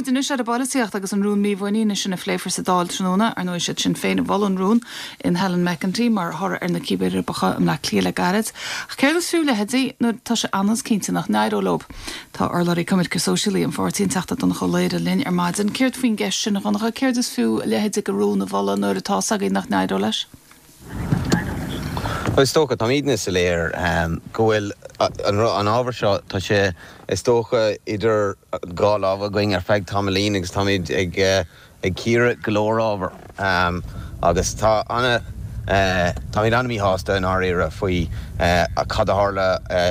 muid anois ar an bpolaitíocht agus an rún mímhuiníne sin a phléifear sa Dáil tráthnóna. Ar ndóigh, is iad Sinn Féin a mhol an rún in Helen McEntee mar thoradh ar na cíbeireabacha i mBleá Cliath le gairid. Ach céard is fiú leithéidí nuair atá sé ionann's cinnte nach n-éireoidh leo? Tá urlabhraí coimirce sóisialaí an pháirtí, an Teachta Donnchadh Ó Laoghaire linn ar maidin. Céard faoin gceist sin, a Dhonncha? Céard is fiú a leithéid de rún a mholadh nuair atá 's againn nach n-éireoidh leis? Bhuel, is dócha, táimidne soiléir go bhfuil an ábhar seo, tá sé, is dócha, idir dhá lámh againn ar feadh tamaillín agus táimid ag ag cíoradh go leor ábhar agus tá ana, táimid ana-mhíshásta i ndáiríre faoi cad a tharla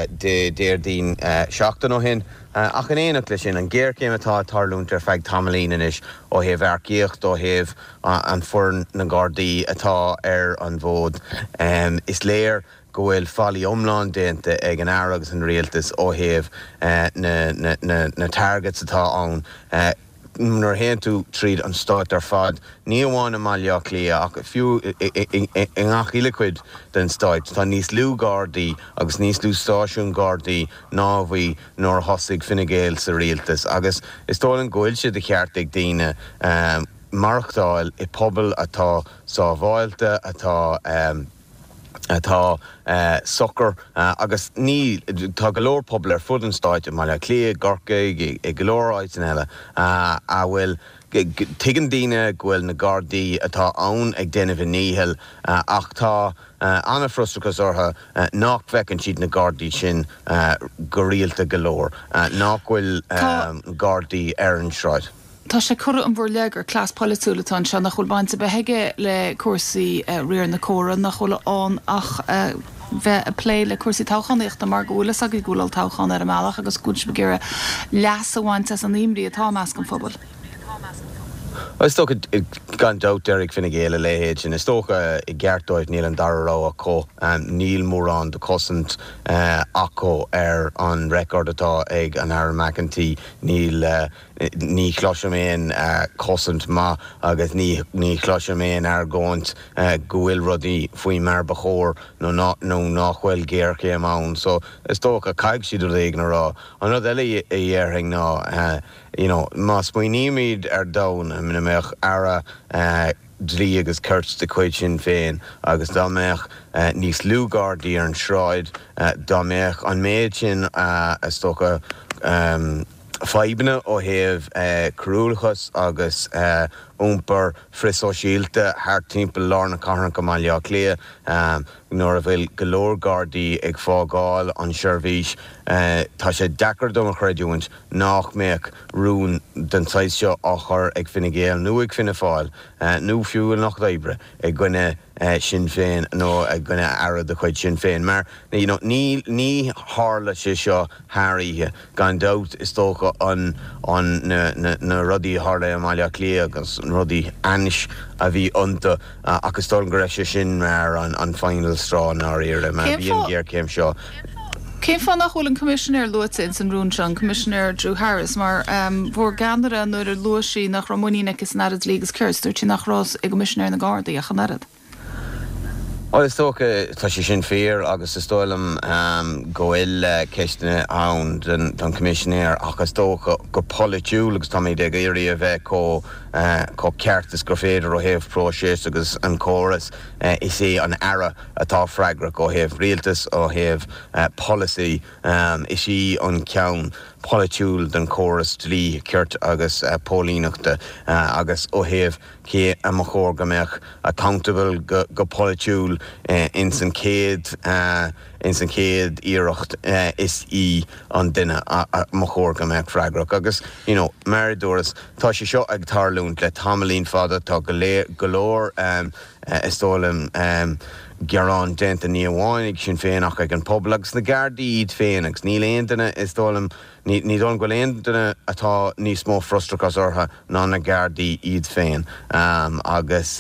Dé Déardaoin seachtain ó shin. Ach in éineacht leis sin, an ghéarchéim atá ag tarlúint ar feadh tamaillín anois ó thaobh earcaíocht, ó thaobh an foireann na nGardaí atá ar an bhfód, is léir go bhfuil faillí iomlán déanta ag an Aire agus an Rialtas ó thaobh na targets atá ann. Nuair a théann tú tríd an stát ar fad, ní amháin i mBaile Átha Cliath ach fiú i ngach uile chuid den stáit, tá níos lú Gardaí agus níos lú stáisiún Gardaí ná a bhí nuair a thosaigh Fine Gael sa rialtas agus is dóigh liom go bhfuil sé de cheart ag daoine maireachtáil i pobal atá sábháilte, atá. atá socair agus ní, tá go leor pobal ar fud an stáit, i mBaile Átha Cliath, i gCorcaigh, i go leor áiteanna eile a bhfuil, tuigeann daoine go bhfuil na Gardaí atá ann ag déanamh a ndícheall ach tá an-fhrustrachas orthu nach bhfeiceann siad na Gardaí sin go rialta go leor, nach bhfuil Gardaí ar an sráid. Tá sé curtha in bhur leith gur cleas polaitiúil atá anseo, nach bhfuil baint ar bith aige le cúrsaí riar na córa, nach bhfuil ann ach bheith ag plé le cúrsaí toghchánaíochta mar go bhfuil fhios agaibh go bhfuil olltoghchán ar an mbealach agus go bhfuil sibh ag iarraidh leas a bhaint as an imní atá i measc an phobail. Bhuel, is dócha, gan dabht, déarfaidh Fine Gael a leithéid sin. Is dócha, i gceart dóibh, níl an dara rogha acu. Níl mórán de chosaint acu ar an record atá ag an Aire McEntee. Níl. Ní chloisim aon chosaint maith agus ní ní chloisim aon argóint go bhfuil rudaí faoi mar ba chóir nó nó nach bhfuil géarchéim ann. So is dócha caithfidh siad rud éigin a rá. An rud eile a dhéarfainn ná you know má smaoinímid ar domhan ina mbeadh Aire Dlí agus Cirt de chuid Shinn Féin agus dá mbeadh níos lú Gardaí ar an sráid, dá mbeadh an méid sin is dócha fadhbanna ó thaobh coiriúlachas agus iompar frithshóisialta thart timpeall lár na cathrach i mBaile Átha Cliath, nuair a bhfuil go leor Gardaí ag fágáil an seirbhís, tá sé deacair dom a chreidiúint nach mbeadh rún den saghas seo á chur ag Fine Gael nó ag Fianna Fáil, nó fiú an Lucht Oibre, i gcoinne Sinn Féin nó i gcoinne Aire de chuid Sinn Féin. Mar, you know, ní, ní tharla sé seo thar oíche. Gan dabht, is dócha, an, an, na, na, na rudaí a tharla i mBaile Átha Cliath agus na rudaí ainnis a bhí iontu, ach is dóigh liom go raibh sé sin mar an, an final straw i ndáiríre, mar bhí an ghéarchéim seo. Cén fáth nach bhfuil an Coimisinéir luaite ins an rún seo, an Coimisinéir Drew Harris, mar bhur gceannaire nuair a luaigh sí nach raibh muinín aici san Aire Dlí agus Cirt, dúirt sí nach raibh i gCoimisinéir na nGardaí ach an oiread. Bhuel, is dócha, tá sé sin fíor agus is dóigh liom go bhfuil ceisteanna ann don Choimisinéir ach is dócha go polaitiúil agus táimid ag iarraidh a bheith chomh ceart is gur féidir ó thaobh próiseas agus an córas, is é an Aire atá freagrach ó thaobh rialtas, ó thaobh polasaí. Is í an ceann polaitiúil den chóras dlí, cirt agus póilíneachta agus ó thaobh cé a mba chóir go mbeadh accountable go polaitiúil ins an chéad ins an chéad iarracht is í an duine a mba chóir go mbeadh freagrach agus you know mar a dúras tá sé seo ag tarlúint le tamaillín fada tá go go leor is dóigh liom gearán déanta ní amháin ag Sinn Féin ach ag an pobal agus na Gardaí iad féin agus níl aon duine is dóigh liom Ní dóigh liom go bhfuil aon duine atá níos mó frustrachas orthu ná na Gardaí iad féin agus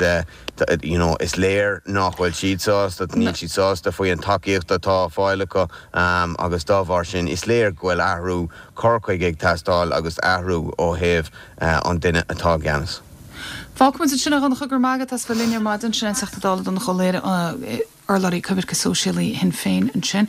you know is léir nach bhfuil siad sásta, níl siad sásta faoi an tacaíocht atá á fáil acu agus dá bharr sin is léir go bhfuil athrú cur chuige ag teastáil agus athrú ó thaobh an duine atá i gceannas. Fágfaimid ansin a Dhonncha, go raibh maith agat as bheith linn ar maidin. Sin é an Teachta Dála Donncha Ó Laoghaire, urlabhraí coimirce sóisialaí Shinn Féin ansin.